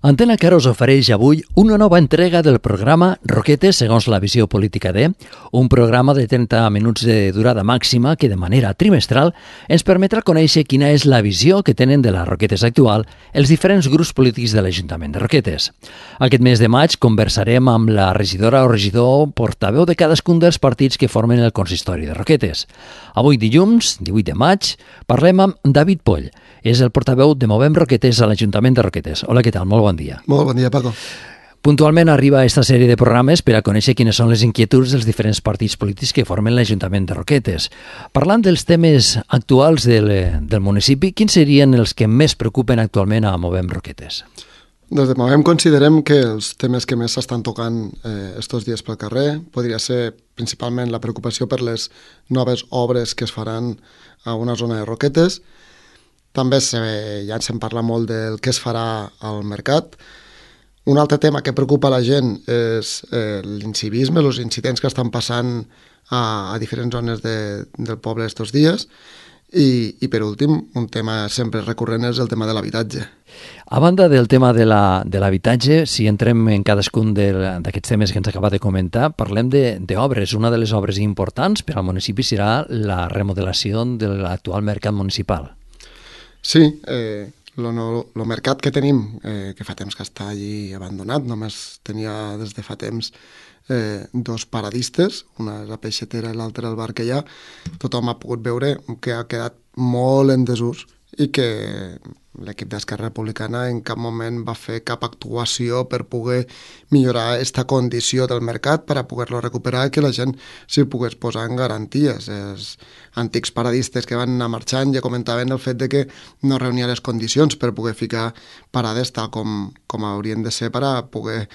Antena Caro us ofereix avui una nova entrega del programa Roquetes segons la visió política de, un programa de 30 minuts de durada màxima que de manera trimestral ens permetrà conèixer quina és la visió que tenen de la Roquetes actual els diferents grups polítics de l'Ajuntament de Roquetes. Aquest mes de maig conversarem amb la regidora o regidor portaveu de cadascun dels partits que formen el consistori de Roquetes. Avui dilluns, 18 de maig, parlem amb David Poll. És el portaveu de Movem Roquetes a l'Ajuntament de Roquetes. Hola, què tal? Molt bon dia. Molt bon dia, Paco. Puntualment arriba aquesta sèrie de programes per a conèixer quines són les inquietuds dels diferents partits polítics que formen l'Ajuntament de Roquetes. Parlant dels temes actuals del municipi, quins serien els que més preocupen actualment a Movem Roquetes? Des de Movem considerem que els temes que més s'estan tocant estos dies pel carrer podria ser principalment la preocupació per les noves obres que es faran a una zona de Roquetes. També ja se'n parla molt del que es farà al mercat. Un altre tema que preocupa la gent és l'incivisme, els incidents que estan passant a diferents zones del poble estos dies. I per últim, un tema sempre recurrent és el tema de l'habitatge. A banda del tema de l'habitatge, si entrem en cadascun d'aquests temes que ens acaba de comentar, parlem d'obres. Una de les obres importants per al municipi serà la remodelació de l'actual mercat municipal. Sí, el mercat que tenim, que fa temps que està allí abandonat, només tenia des de fa temps dos paradistes, una és la peixetera i l'altra el bar que hi ha. Tothom ha pogut veure que ha quedat molt en desús i que l'equip d'Esquerra Republicana en cap moment va fer cap actuació per poder millorar aquesta condició del mercat per a poder-lo recuperar i que la gent s'hi pogués posar en garanties. Els antics paradistes que van anar marxant ja comentaven el fet de que no reunia les condicions per poder ficar parades tal com haurien de ser per a poder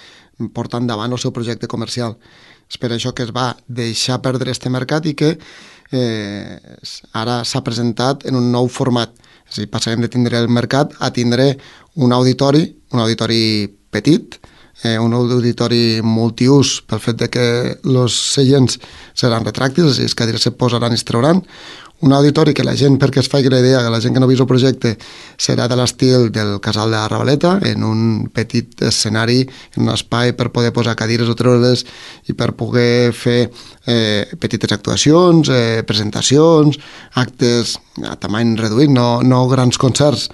portar endavant el seu projecte comercial. És per això que es va deixar perdre aquest mercat i que ara s'ha presentat en un nou format. És a dir, passarem de tindre el mercat a tindre un auditori petit, un auditori multiús pel fet de que els seients seran retràctils, és a dir, les cadires se posaran i es trauran. Un auditori que la gent, perquè es faci la idea, que la gent que no ha vist el projecte, serà de l'estil del Casal de la Ravaleta, en un petit escenari, en un espai per poder posar cadires o treure's i per poder fer petites actuacions, presentacions, actes a tamany reduït, no grans concerts,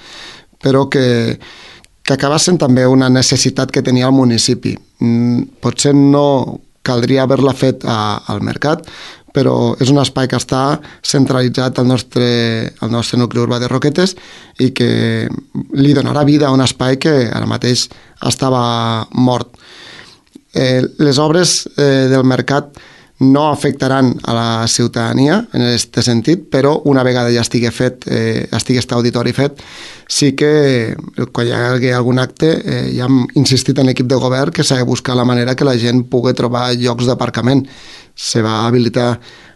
però que acabassen també una necessitat que tenia el municipi. Potser no caldria haver-la fet al mercat, però és un espai que està centralitzat al nostre nucli urbà de Roquetes i que li donarà vida a un espai que ara mateix estava mort. Les obres del mercat no afectaran a la ciutadania en aquest sentit, però una vegada ja estigui aquest auditori fet, sí que quan hi hagi algun acte ja hem insistit en l'equip de govern que s'ha de buscar la manera que la gent pugui trobar llocs d'aparcament. Se va habilitar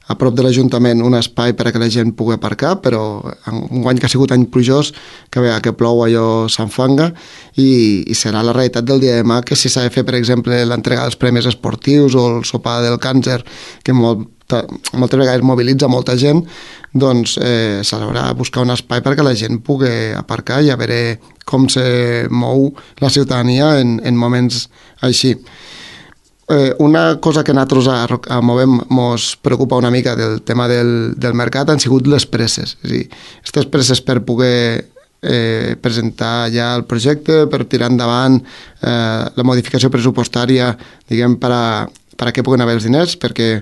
a prop de l'Ajuntament un espai per a que la gent pugui aparcar, però un any que ha sigut any plujós, que plou allò s'enfanga i serà la realitat del dia de demà que si s'ha de fer, per exemple, l'entrega dels premis esportius o el sopar del càncer, que moltes vegades mobilitza molta gent, doncs s'haurà de buscar un espai perquè la gent pugui aparcar i a veure com se mou la ciutadania en moments així. Una cosa que a nosaltres a Movem ens preocupa una mica del tema del mercat han sigut les presses. És a dir, aquestes presses per poder presentar ja el projecte, per tirar endavant la modificació pressupostària, diguem, per a què puguen haver els diners, perquè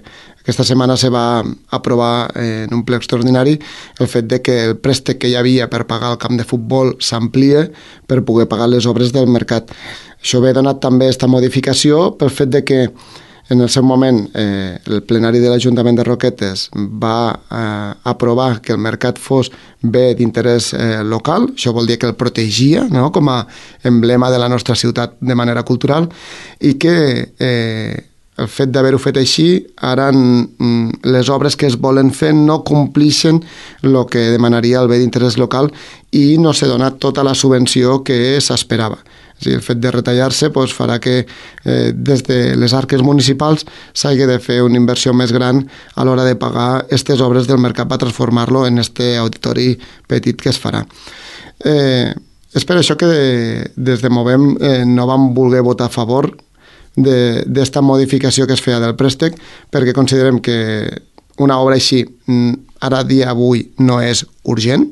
aquesta setmana se va aprovar en un ple extraordinari el fet de que el préstec que hi havia per pagar el camp de futbol s'amplia per poder pagar les obres del mercat. Això ve donat també aquesta modificació pel fet de que en el seu moment el plenari de l'Ajuntament de Roquetes va aprovar que el mercat fos bé d'interès local. Això vol dir que el protegia, no?, com a emblema de la nostra ciutat de manera cultural i que el fet d'haver-ho fet així, ara les obres que es volen fer no complixen el que demanaria el bé d'interès local i no s'ha donat tota la subvenció que s'esperava. És a dir, el fet de retallar-se farà que des de les arques municipals s'hagi de fer una inversió més gran a l'hora de pagar aquestes obres del mercat per transformar-lo en este auditori petit que es farà. És per això que des de Movem no vam voler votar a favor d'esta modificació que es feia del préstec, perquè considerem que una obra així, ara dia avui, no és urgent.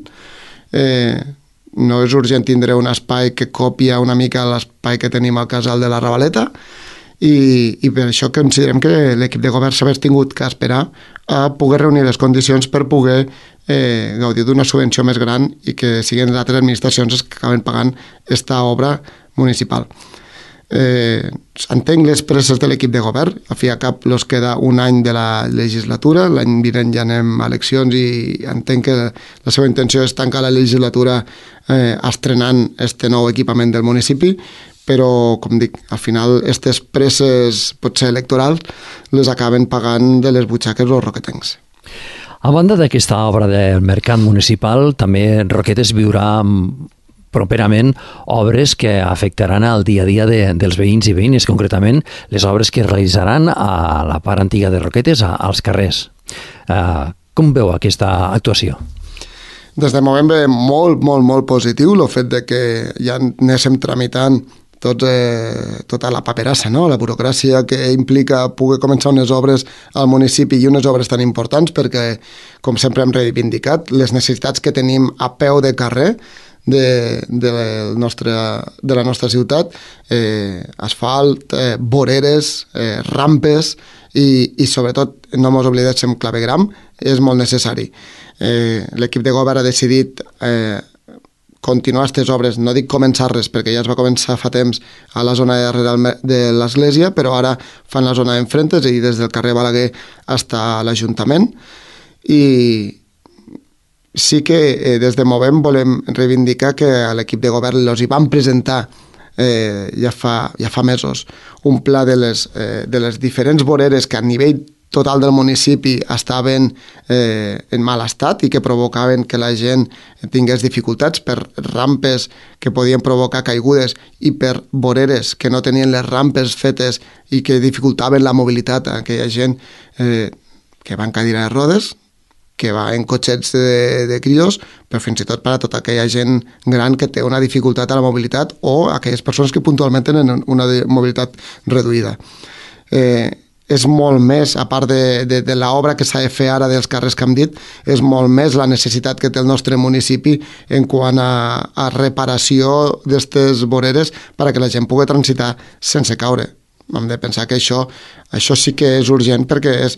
No és urgent tindre un espai que copia una mica l'espai que tenim al casal de la Ravaleta, i per això considerem que l'equip de govern s'ha tingut que esperar a poder reunir les condicions per poder gaudir d'una subvenció més gran i que siguin les altres administracions les que acaben pagant aquesta obra municipal. Entenc les presses de l'equip de govern, a fi a cap els queda un any de la legislatura, l'any vinent ja anem a eleccions i entenc que la seva intenció és tancar la legislatura estrenant este nou equipament del municipi, però, com dic, al final aquestes presses potser electorals les acaben pagant de les butxaques els roquetencs. A banda d'aquesta obra del mercat municipal, també Roquetes viurà properament obres que afectaran el dia a dia dels veïns i veïnes, concretament les obres que es realitzaran a la part antiga de Roquetes, als carrers. Com veu aquesta actuació? Des de moment ve molt positiu el fet de que ja anéssim tramitant tota la paperassa, no? La burocràcia que implica poder començar unes obres al municipi i unes obres tan importants, perquè, com sempre hem reivindicat, les necessitats que tenim a peu de carrer de la nostra ciutat, asfalt, voreres, rampes i sobretot, no mos oblidem, clavegram, és molt necessari. L'equip de govern ha decidit continuar aquestes obres, no dic començar-les perquè ja es va començar fa temps a la zona de darrere de l'església, però ara fan la zona d'enfrentes i des del carrer Balaguer fins a l'Ajuntament, i sí que des de Movem volem reivindicar que a l'equip de govern els hi van presentar ja fa mesos un pla de les diferents voreres que a nivell total del municipi estaven en mal estat i que provocaven que la gent tingués dificultats per rampes que podien provocar caigudes i per voreres que no tenien les rampes fetes i que dificultaven la mobilitat a aquella gent que va en cadira de rodes, que va en cotxets de crios, però fins i tot per a tota aquella gent gran que té una dificultat a la mobilitat o aquelles persones que puntualment tenen una mobilitat reduïda. És molt més, a part de l'obra que s'ha de fer ara dels carrers que hem dit, és molt més la necessitat que té el nostre municipi en quant a reparació d'aquestes voreres perquè la gent pugui transitar sense caure. Hem de pensar que això sí que és urgent perquè és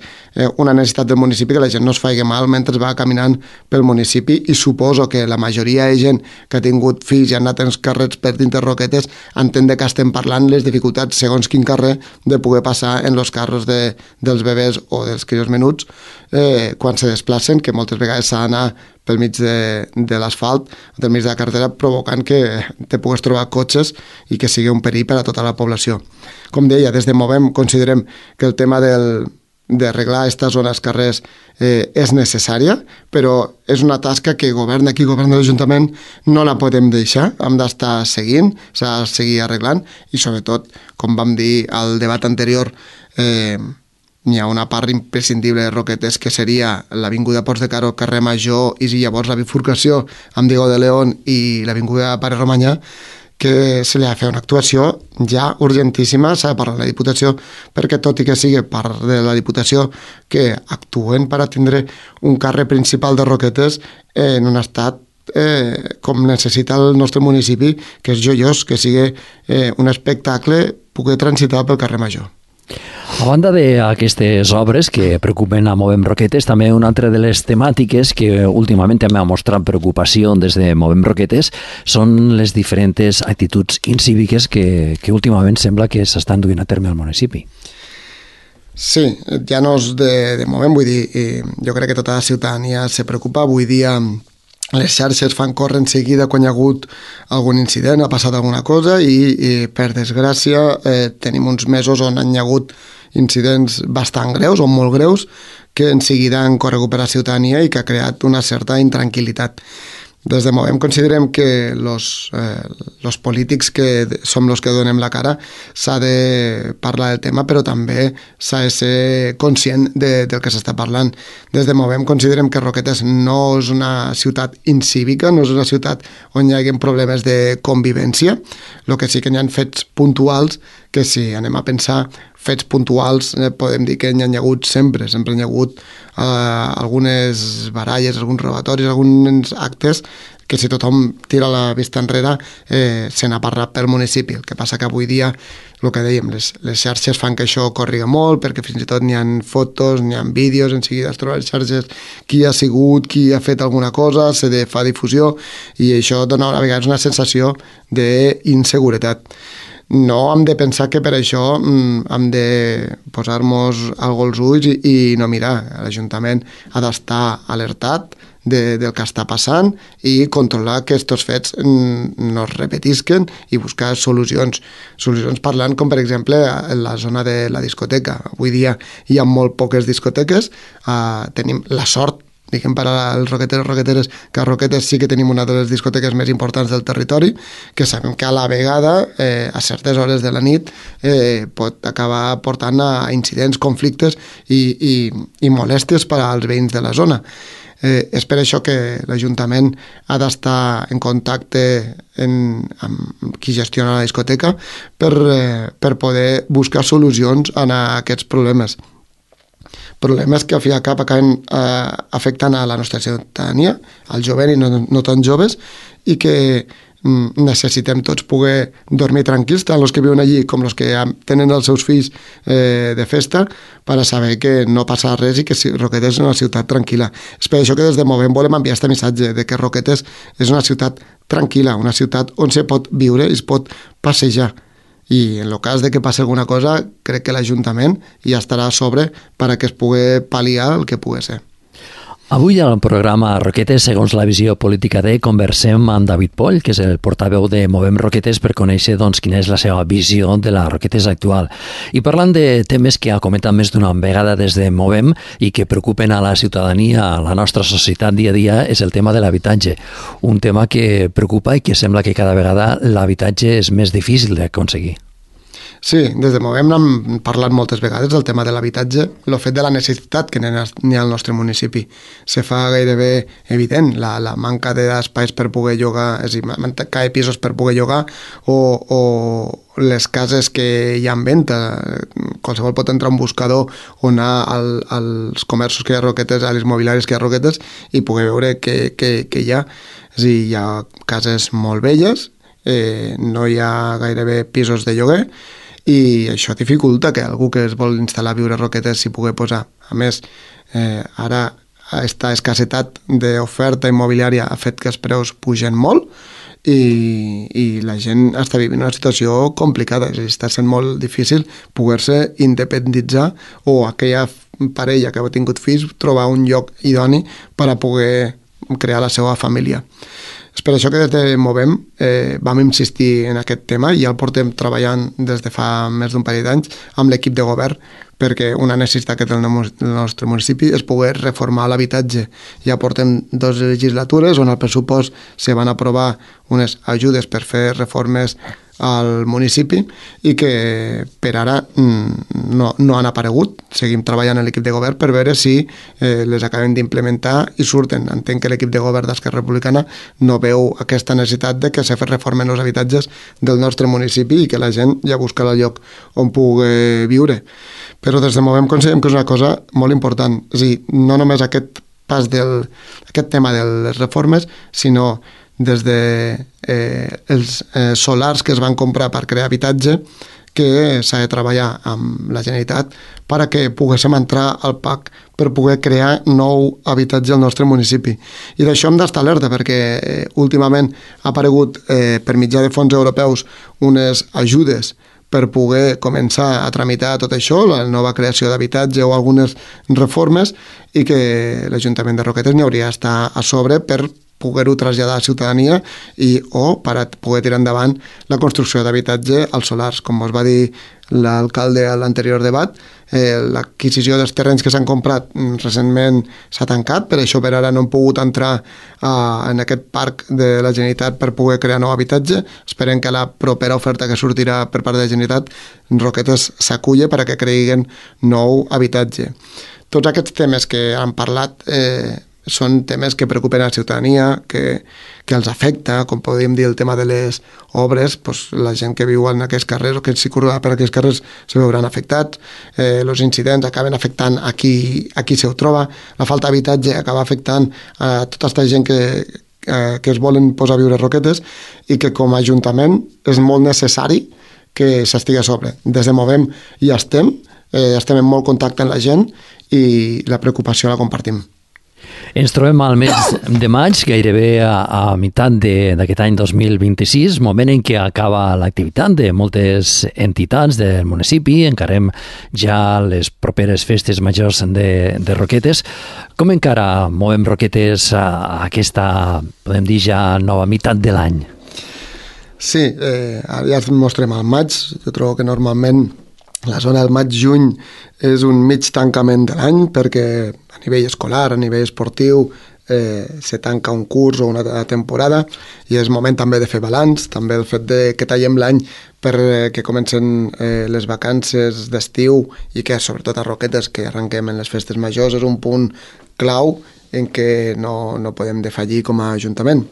una necessitat del municipi que la gent no es faci mal mentre va caminant pel municipi, i suposo que la majoria de gent que ha tingut fills i han anat als carrers per dintre Roquetes entén que estem parlant les dificultats segons quin carrer de poder passar en els carros dels bebès o dels crios menuts quan se desplacen, que moltes vegades s'ha d'anar pel mig de l'asfalt, del mig de la carretera, provocant que te pugues trobar cotxes i que sigui un perill per a tota la població. Com deia, des de Movem considerem que el tema d'arreglar aquesta zona als carrers és necessària, però és una tasca que govern aquí, govern de l'Ajuntament, no la podem deixar, hem d'estar seguint, s'ha de seguir arreglant, i sobretot, com vam dir al debat anterior, n'hi ha una part imprescindible de Roquetes que seria l'avinguda Ports de Caro, carrer Major, i llavors la bifurcació amb Diego de León i l'avinguda Pare Romanyà, que se li ha de fer una actuació ja urgentíssima. S'ha de parlar de la Diputació, perquè tot i que sigui part de la Diputació que actuen per a tindre un carrer principal de Roquetes en un estat com necessita el nostre municipi, que és joiós, que sigui un espectacle poder transitar pel carrer Major. A banda d'aquestes obres que preocupen a Movem Roquetes, també una altra de les temàtiques que últimament també ha mostrat preocupació des de Movem Roquetes són les diferents actituds incíviques que últimament sembla que s'estan duint a terme al municipi. Sí, ja no és de Movem, vull dir, jo crec que tota la ciutadania se preocupa. Avui dia les xarxes fan córrer en seguida quan hi ha hagut algun incident, ha passat alguna cosa, i per desgràcia tenim uns mesos on hi ha hagut incidents bastant greus o molt greus que en seguida han corregut per la ciutadania i que ha creat una certa intranquil·litat. Des de Movem considerem que los polítics que som els que donem la cara s'ha de parlar del tema, però també s'ha de ser conscient del que s'està parlant. Des de Movem considerem que Roquetes no és una ciutat incívica, no és una ciutat on hi hagi problemes de convivència. El que sí que hi ha fets puntuals, que si anem a pensar fets puntuals, podem dir que n'hi ha hagut sempre hi ha hagut algunes baralles, alguns robatoris, alguns actes que si tothom tira la vista enrere se n'ha parlat pel municipi. El que passa que avui dia, el que dèiem, les xarxes fan que això corriga molt, perquè fins i tot n'hi ha fotos, n'hi ha vídeos, en seguida es troben les xarxes qui ha sigut, qui ha fet alguna cosa, se fa difusió, i això dona a vegades una sensació d'inseguretat. No hem de pensar que per això hem de posar-nos algo als ulls i no mirar. L'Ajuntament ha d'estar alertat del que està passant i controlar que aquests fets no es repetisquen i buscar solucions parlant, com per exemple en la zona de la discoteca. Avui dia hi ha molt poques discoteques, tenim la sort, diguem, per als roqueteros i roqueteres, que a Roquetes sí que tenim una de les discoteques més importants del territori, que sabem que a la vegada, a certes hores de la nit, pot acabar portant a incidents, conflictes i molèsties per als veïns de la zona. És per això que l'Ajuntament ha d'estar en contacte amb qui gestiona la discoteca per poder buscar solucions a aquests problemes. Problemes que al fi i al cap acaben afectant a la nostra ciutadania, al jovent i no tan joves, i que necessitem tots poder dormir tranquils, tant els que viuen allí com els que tenen els seus fills de festa, per a saber que no passa res i que Roquetes és una ciutat tranquil·la. És per això que des de Movem volem enviar aquest missatge de que Roquetes és una ciutat tranquil·la, una ciutat on se pot viure i es pot passejar. I en el cas de que passi alguna cosa, crec que l'Ajuntament ja estarà a sobre perquè es pugui pal·liar el que pugui ser. Avui al programa Roquetes, segons la visió política de, conversem amb David Poll, que és el portaveu de Movem Roquetes, per conèixer quina és la seva visió de la Roquetes actual. I parlant de temes que ha comentat més d'una vegada des de Movem i que preocupen a la ciutadania, a la nostra societat dia a dia, és el tema de l'habitatge. Un tema que preocupa i que sembla que cada vegada l'habitatge és més difícil d'aconseguir. Sí, des de Movem n'hem parlat moltes vegades del tema de l'habitatge, el fet de la necessitat que n'hi ha al nostre municipi. Se fa gairebé evident la manca d'espais per poder llogar, és a dir, manca de pisos per poder llogar o les cases que hi ha en venda. Qualsevol pot entrar a un buscador o anar als comerços que hi ha a Roquetes, a les mobiliàries que hi ha a Roquetes i poder veure què hi ha. És a dir, hi ha cases molt velles, no hi ha gairebé pisos de lloguer, i això dificulta que algú que es vol instal·lar a viure a Roquetes s'hi pugui posar. A més, ara aquesta escassetat d'oferta immobiliària ha fet que els preus pugen molt i la gent està vivint una situació complicada. És a dir, està sent molt difícil poder-se independitzar o aquella parella que ha tingut fills trobar un lloc idoni per a poder crear la seva família. És per això que des de Movem vam insistir en aquest tema i ja el portem treballant des de fa més d'un parell d'anys amb l'equip de govern, perquè una necessitat que té el nostre municipi és poder reformar l'habitatge. Ja portem 2 legislatures on al pressupost se van aprovar unes ajudes per fer reformes al municipi i que per ara no han aparegut. Seguim treballant en l'equip de govern per veure si les acabem d'implementar i surten. Entenc que l'equip de govern d'Esquerra Republicana no veu aquesta necessitat de que se reformen els habitatges del nostre municipi i que la gent ja busca el lloc on pugui viure. Però des de Movem considerem que és una cosa molt important. És a dir, no només aquest tema de les reformes, sinó des de els solars que es van comprar per crear habitatge, que s'ha de treballar amb la Generalitat per a que poguéssim entrar al PAC per poder crear nou habitatge al nostre municipi. I d'això hem d'estar alerta perquè últimament ha aparegut per mitjà de fons europeus unes ajudes per poder començar a tramitar tot això, la nova creació d'habitatge o algunes reformes, i que l'Ajuntament de Roquetes n'hi hauria d'estar a sobre per poder-ho traslladar a la ciutadania o per a poder tirar endavant la construcció d'habitatge als solars. Com us va dir l'alcalde a l'anterior debat, l'adquisició dels terrenys que s'han comprat recentment s'ha tancat, per això per ara no hem pogut entrar en aquest parc de la Generalitat per poder crear nou habitatge. Esperem que la propera oferta que sortirà per part de la Generalitat Roquetes s'aculla perquè creïguen nou habitatge. Tots aquests temes que han parlat són temes que preocupen a la ciutadania, que els afecta, com podríem dir el tema de les obres, doncs la gent que viu en aquests carrers o que circula per aquests carrers se veuran afectats, els incidents acaben afectant a qui se troba, la falta d'habitatge acaba afectant a tota aquesta gent que es volen posar a viure a Roquetes i que com a Ajuntament és molt necessari que s'estigui a sobre. Des de Movem ja estem en molt contacte amb la gent i la preocupació la compartim. Ens trobem al mes de maig, gairebé a meitat d'aquest any 2026, moment en què acaba l'activitat de moltes entitats del municipi, encarem ja les properes festes majors de Roquetes. Com encara Movem Roquetes a aquesta, podem dir, ja nova meitat de l'any? Sí, ara ja ens mostrem al maig. Jo trobo que normalment la zona del maig-juny és un mig tancament de l'any perquè a nivell escolar, a nivell esportiu, se tanca un curs o una temporada i és moment també de fer balanç, també el fet que tallem l'any perquè comencen les vacances d'estiu i que sobretot a Roquetes que arrenquem en les festes majors és un punt clau en què no podem defallir com a Ajuntament.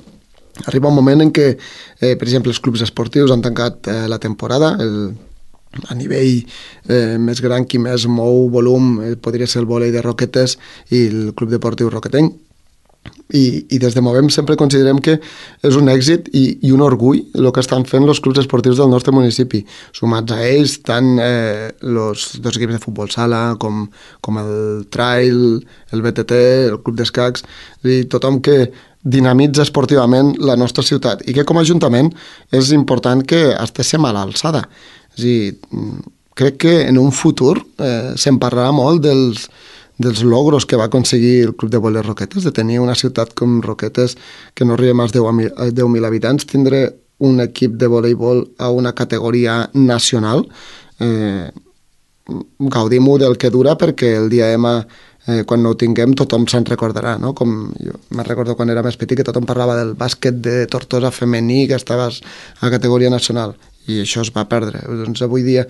Arriba un moment en què, per exemple, els clubs esportius han tancat la temporada, a nivell més gran, qui més mou volum podria ser el vòlei de Roquetes i el Club Deportiu Roquetenc. I des de Movem sempre considerem que és un èxit i un orgull el que estan fent els clubs esportius del nostre municipi. Sumats a ells, tant els dos equips de futbol sala com el trail, el BTT, el club d'escacs, i tothom que dinamitza esportivament la nostra ciutat i que com a Ajuntament és important que estiguem a l'alçada. És a dir, crec que en un futur se'n parlarà molt dels logros que va aconseguir el Club de Voleibol Roquetes, de tenir una ciutat com Roquetes que no arriba a més de 10.000 habitants, tindre un equip de voleibol a una categoria nacional. Gaudim-ho del que dura perquè el dia M quan no ho tinguem tothom se'n recordarà, no? Com jo me'n recordo quan era més petit que tothom parlava del bàsquet de Tortosa femení que estava a categoria nacional i això es va perdre. Doncs avui dia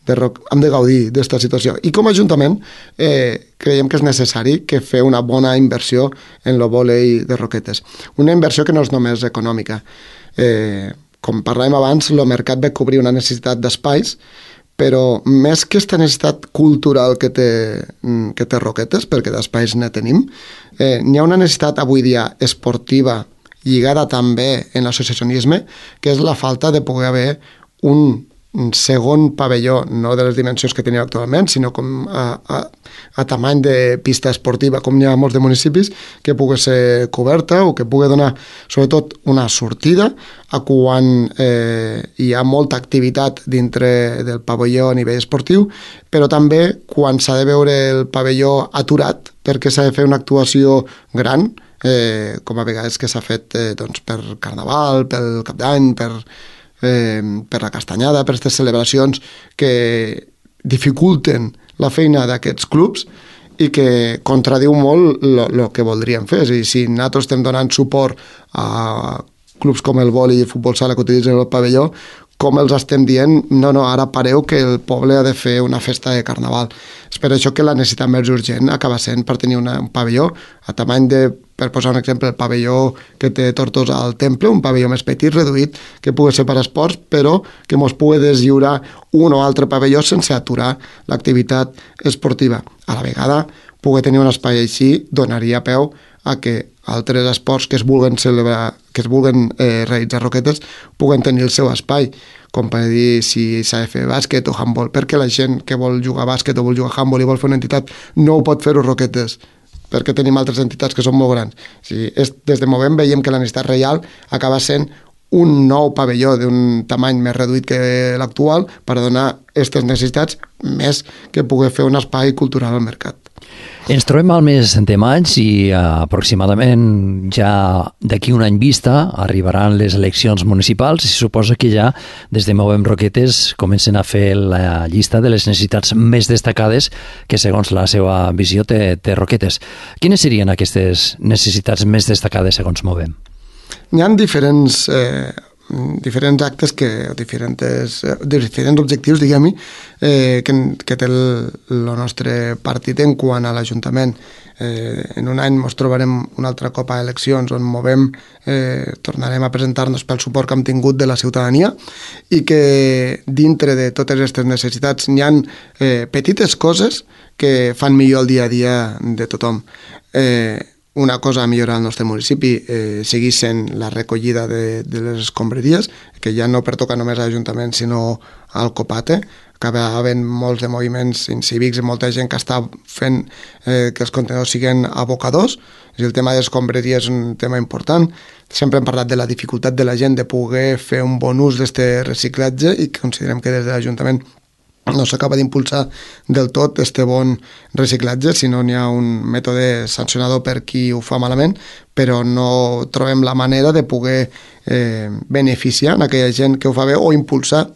hem de gaudir d'esta situació. I com a Ajuntament creiem que és necessari que fer una bona inversió en el vòlei de Roquetes. Una inversió que no és només econòmica. Com parlàvem abans, el mercat va cobrir una necessitat d'espais, però més que aquesta necessitat cultural que té Roquetes, perquè d'espais ne tenim, n'hi ha una necessitat avui dia esportiva lligada també en l'associacionisme, que és la falta de poder haver un segon pavelló, no de les dimensions que tenia actualment, sinó com a tamany de pista esportiva, com n'hi ha molts de municipis, que pugui ser coberta o que pugui donar, sobretot, una sortida a quan hi ha molta activitat dintre del pavelló a nivell esportiu, però també quan s'ha de veure el pavelló aturat perquè s'ha de fer una actuació gran, com a vegades que s'ha fet per Carnaval, pel Cap d'Any, per la Castanyada, per aquestes celebracions que dificulten la feina d'aquests clubs i que contradiu molt el que voldríem fer. És a dir, si nosaltres estem donant suport a clubs com el vòlei i el futbol sala que utilitzen el pavelló, com els estem dient, no, ara pareu que el poble ha de fer una festa de Carnaval. És per això que la necessitat més urgent acaba sent per tenir un pavelló a tamany de, per posar un exemple, el pavelló que té Tortosa al Temple, un pavelló més petit, reduït, que pugui ser per esports, però que mos pugui deslliurar un o altre pavelló sense aturar l'activitat esportiva. A la vegada, poder tenir un espai així donaria peu a que altres esports que es vulguen celebrar, que es vulguen realitzar Roquetes, puguen tenir el seu espai, com per dir si s'ha de fer bàsquet o handbol, perquè la gent que vol jugar bàsquet o vol jugar handbol i vol fer una entitat no ho pot fer-ho Roquetes, perquè tenim altres entitats que són molt grans. O sigui, des de Movem veiem que la necessitat real acaba sent un nou pavelló d'un tamany més reduït que l'actual per donar aquestes necessitats més que poder fer un espai cultural al mercat. Ens trobem al mes de maig i aproximadament ja d'aquí un any vista arribaran les eleccions municipals i suposa que ja des de Movem Roquetes comencen a fer la llista de les necessitats més destacades que segons la seva visió té Roquetes. Quines serien aquestes necessitats més destacades segons Movem? Hi ha diferents actes diferents objectius, diguem-hi, que té el nostre partit en quant a l'Ajuntament. En un any ens trobarem un altre cop a eleccions on Movem, tornarem a presentar-nos pel suport que hem tingut de la ciutadania i que dintre de totes aquestes necessitats n'hi ha petites coses que fan millor el dia a dia de tothom. Una cosa a millorar al nostre municipi segueix sent la recollida de les escombraries, que ja no pertoca només a l'Ajuntament sinó al Copate. Acaba havent molts de moviments incívics i molta gent que està fent que els contenidors siguin abocadors. El tema de les escombraries és un tema important. Sempre hem parlat de la dificultat de la gent de poder fer un bon ús d'aquest reciclatge i considerem que des de l'Ajuntament no s'acaba d'impulsar del tot este bon reciclatge, si no n'hi ha un mètode sancionador per qui ho fa malament, però no trobem la manera de poder beneficiar aquella gent que ho fa bé o impulsar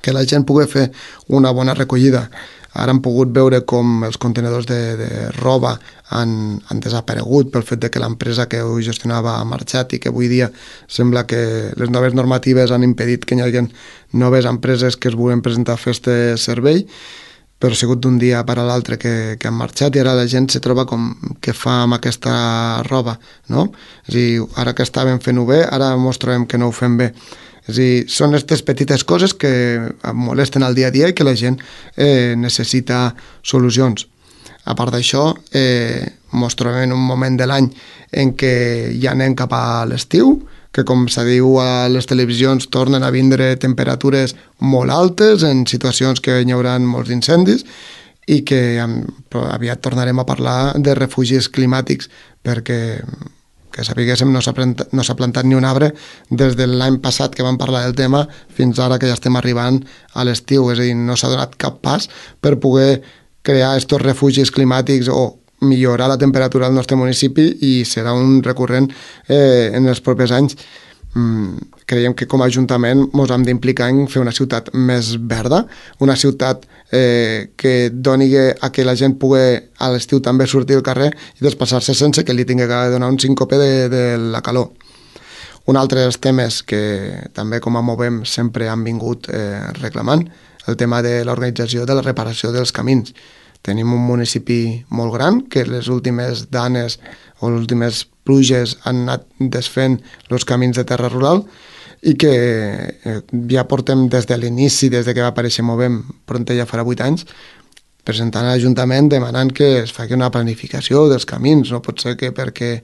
que la gent pugui fer una bona recollida. Ara hem pogut veure com els contenidors de roba han desaparegut pel fet de que l'empresa que ho gestionava ha marxat i que avui dia sembla que les noves normatives han impedit que hi hagi noves empreses que es vulguin presentar a fer aquest servei, però ha sigut d'un dia per a l'altre que han marxat i ara la gent se troba com què fa amb aquesta roba, no? És a dir, ara que estàvem fent-ho bé, ara ens trobem que no ho fem bé. És a dir, són aquestes petites coses que em molesten al dia a dia i que la gent necessita solucions. A part d'això, ens trobem en un moment de l'any en què ja anem cap a l'estiu, que com se diu a les televisions tornen a vindre temperatures molt altes en situacions que hi haurà molts incendis i que aviat tornarem a parlar de refugis climàtics perquè que sapiguéssim no s'ha plantat ni un arbre des de l'any passat que vam parlar del tema fins ara que ja estem arribant a l'estiu, és a dir, no s'ha donat cap pas per poder crear estos refugis climàtics o millorar la temperatura del nostre municipi i serà un recurrent en els propers anys. Creiem que com a Ajuntament ens hem d'implicar en fer una ciutat més verda, una ciutat que doni a que la gent pugui a l'estiu també sortir al carrer i desplaçar-se sense que li tingui que donar un síncope de la calor. Un altre dels temes que també com a Movem sempre han vingut reclamant, el tema de l'organització de la reparació dels camins. Tenim un municipi molt gran que les últimes danes o les últimes pluges han anat desfent els camins de terra rural i que ja portem des de l'inici, des de que va aparèixer Movem, pront ja farà 8 anys, presentant a l'Ajuntament demanant que es faci una planificació dels camins. No pot ser que perquè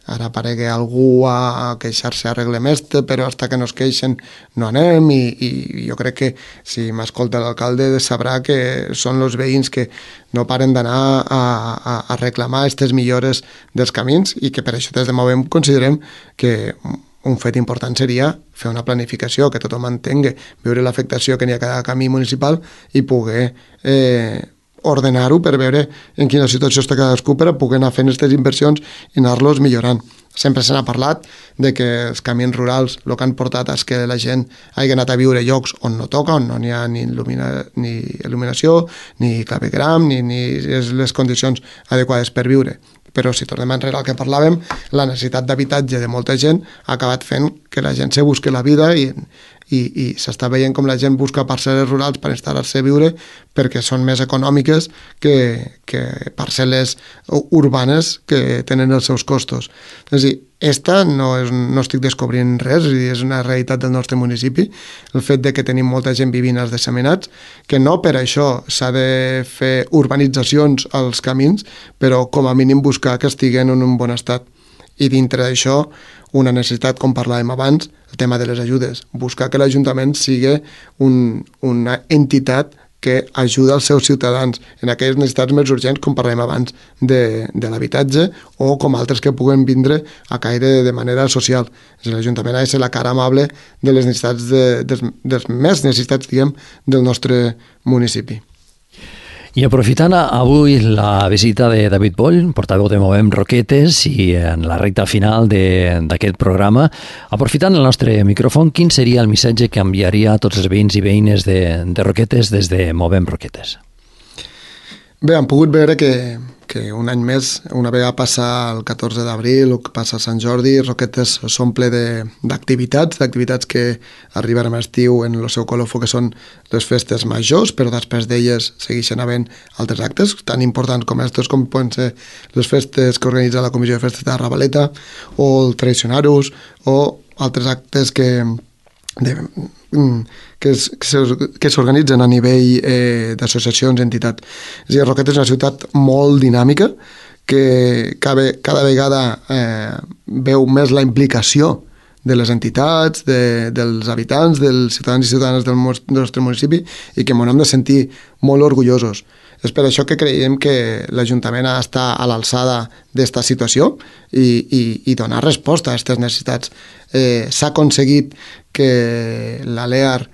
ara aparegui algú a queixar-se arreglem però hasta que no es queixen no anem i jo crec que si m'escolta l'alcalde sabrà que són els veïns que no paren d'anar a reclamar aquestes millores dels camins i que per això des de Movem considerem que un fet important seria fer una planificació, que tothom entengui, veure l'afectació que n'hi ha a cada camí municipal i poder ordenar-ho per veure en quina situació està cadascú per a poder anar fent aquestes inversions i anar-los millorant. Sempre se n'ha parlat de que els camins rurals el que han portat és que la gent hagi anat a viure a llocs on no toca, on no n'hi ha ni il·luminació, ni clavegram, ni les condicions adequades per viure. Però si tornem enrere al que parlàvem, la necessitat d'habitatge de molta gent ha acabat fent que la gent se busqui la vida i s'està veient com la gent busca parcel·les rurals per instal·lar-se a viure perquè són més econòmiques que parcel·les urbanes que tenen els seus costos. És a dir, no estic descobrint res, és una realitat del nostre municipi, el fet de que tenim molta gent vivint als disseminats, que no per això s'ha de fer urbanitzacions als camins, però com a mínim buscar que estiguen en un bon estat. I dintre d'això, una necessitat, com parlàvem abans, el tema de les ajudes. Buscar que l'Ajuntament sigui una entitat que ajuda els seus ciutadans en aquelles necessitats més urgents, com parlàvem abans, de l'habitatge o com altres que puguen vindre a caire de manera social. L'Ajuntament ha de ser la cara amable de les necessitats, dels més necessitats, diguem, del nostre municipi. I aprofitant avui la visita de David Poll, portaveu de Movem Roquetes, i en la recta final d'aquest programa, aprofitant el nostre micròfon, quin seria el missatge que enviaria a tots els veïns i veïnes de Roquetes des de Movem Roquetes? Bé, hem pogut veure que un any més, una vegada passa el 14 d'abril o que passa Sant Jordi, Roquetes s'omple d'activitats que arriben a l'estiu en el seu colofó, que són les festes majors, però després d'elles segueixen havent altres actes tan importants com aquests, com poden ser les festes que organitza la Comissió de Festes de Ravaleta o el Traicionar-us o altres actes que s'organitzen a nivell d'associacions, entitats. És a dir, Roquetes és una ciutat molt dinàmica que cada vegada veu més la implicació de les entitats, dels habitants, dels ciutadans i ciutadanes del nostre municipi, i que ens hem de sentir molt orgullosos. És per això que creiem que l'Ajuntament ha d'estar a l'alçada d'esta situació i donar resposta a aquestes necessitats. S'ha aconseguit que la LEAR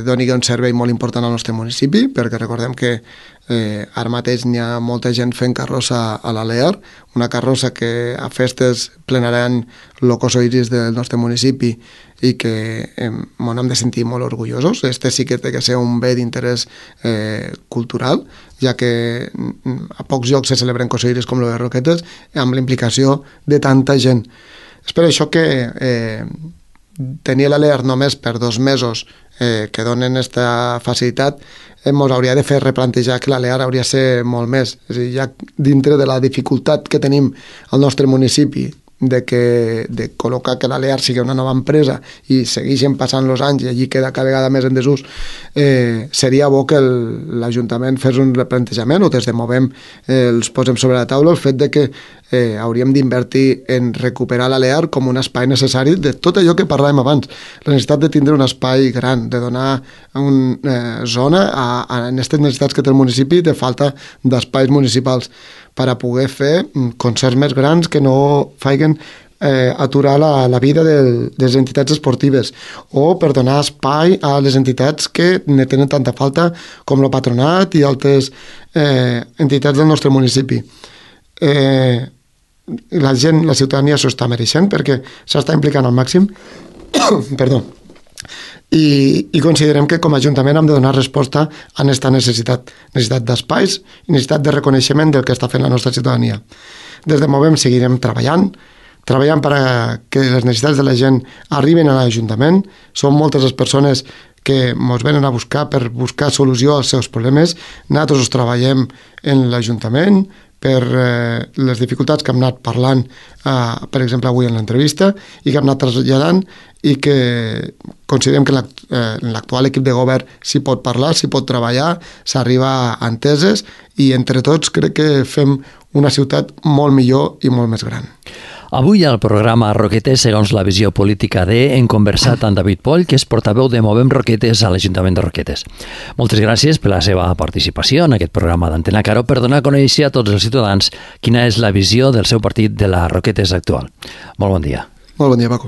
doni un servei molt important al nostre municipi, perquè recordem que ara mateix n'hi ha molta gent fent carrossa a la LEAR, una carrossa que a festes plenaran el cos iris del nostre municipi i que ens hem de sentir molt orgullosos. Este sí que té que ser un bé d'interès cultural, ja que a pocs llocs se celebren cos iris com el de Roquetes, amb la implicació de tanta gent. És per això que tenir la LEAR només per 2 mesos que donen aquesta facilitat ens hauria de fer replantejar que la LEAR hauria de ser molt més. És a dir, ja dintre de la dificultat que tenim al nostre municipi de col·locar que la LEAR sigui una nova empresa i segueixen passant els anys i allí queda cada vegada més en desús, seria bo que l'Ajuntament fes un replantejament, o des de Movem els posem sobre la taula el fet de que hauríem d'invertir en recuperar la LEAR com un espai necessari de tot allò que parlàvem abans, la necessitat de tindre un espai gran, de donar una zona a aquestes necessitats que té el municipi de falta d'espais municipals per a poder fer concerts més grans que no facin aturar la vida de les entitats esportives, o per donar espai a les entitats que ne tenen tanta falta com el Patronat i altres entitats del nostre municipi. La gent, la ciutadania s'ho està mereixent perquè s'està implicant al màxim perdó, i considerem que com a Ajuntament hem de donar resposta a aquesta necessitat d'espais i necessitat de reconeixement del que està fent la nostra ciutadania. Des de Movem seguirem treballant perquè les necessitats de la gent arriben a l'Ajuntament. Són moltes les persones que ens venen a buscar per buscar solució als seus problemes. Nosaltres treballem en l'Ajuntament per les dificultats que hem anat parlant, per exemple, avui en l'entrevista, i que hem anat traslladant, i que considerem que en l'actual equip de govern s'hi pot parlar, s'hi pot treballar, s'arriba a enteses, i entre tots crec que fem una ciutat molt millor i molt més gran. Avui al programa Roquetes, segons la visió política hem conversat amb David Poll, que és portaveu de Movem Roquetes a l'Ajuntament de Roquetes. Moltes gràcies per la seva participació en aquest programa d'Antena Caro per donar a conèixer a tots els ciutadans quina és la visió del seu partit de la Roquetes actual. Molt bon dia. Molt bon dia, Paco.